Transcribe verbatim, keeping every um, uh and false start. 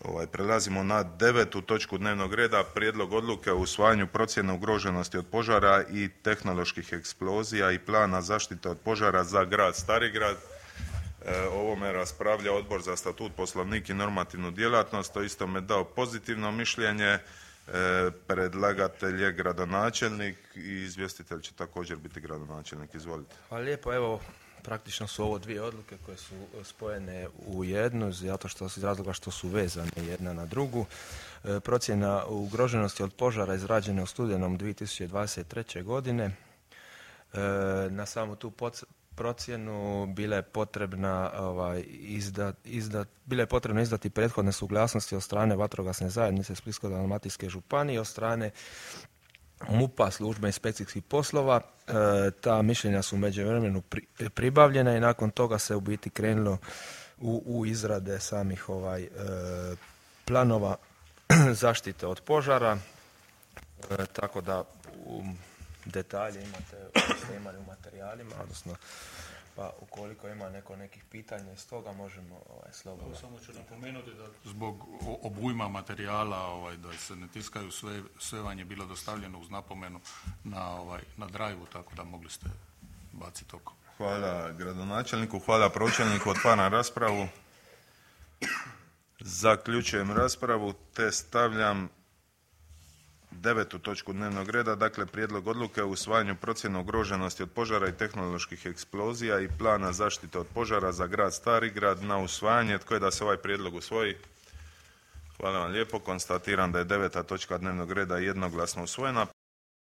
Ovaj, prelazimo na devetu točku dnevnog reda, prijedlog odluke o usvajanju procjene ugroženosti od požara i tehnoloških eksplozija i plana zaštite od požara za grad Starigrad. E, ovome raspravlja Odbor za statut, poslovnik i normativnu djelatnost, to isto me dao pozitivno mišljenje. E, predlagatelj je gradonačelnik i izvjestitelj će također biti gradonačelnik. Izvolite. Hvala lijepo. Evo, praktično su ovo dvije odluke koje su spojene u jednu, zato što iz razloga što su vezane jedna na drugu. E, procjena ugroženosti od požara izrađena u studenom dvije tisuće dvadeset treće. godine. E, na samu tu poc- procjenu bile je potrebna ovaj, izda, izda, bile je potrebno izdati prethodne suglasnosti od strane vatrogasne zajednice Splitsko-dalmatinske županije, od strane MUP-a, službe inspekcijskih poslova. E, ta mišljenja su u međuvremenu pri, pribavljena i nakon toga se u biti krenulo u, u izrade samih ovaj e, planova zaštite od požara. E, tako da u detalje imate, ste imali u materijalima, odnosno pa ukoliko ima neko nekih pitanja iz toga možemo ovaj, slobodno. Samo ću napomenuti da zbog obujma materijala ovaj, da se ne tiskaju, sve, sve vam je bilo dostavljeno uz napomenu na, ovaj, na drive-u, tako da mogli ste baciti oko. Hvala gradonačelniku, hvala pročelniku, otvaram raspravu. Zaključujem raspravu te stavljam devetu točku dnevnog reda, dakle prijedlog odluke o usvajanju procjene ugroženosti od požara i tehnoloških eksplozija i plana zaštite od požara za grad Starigrad na usvajanje. Tko je da se ovaj prijedlog usvoji? Hvala vam lijepo. Konstatiram da je deveta točka dnevnog reda jednoglasno usvojena.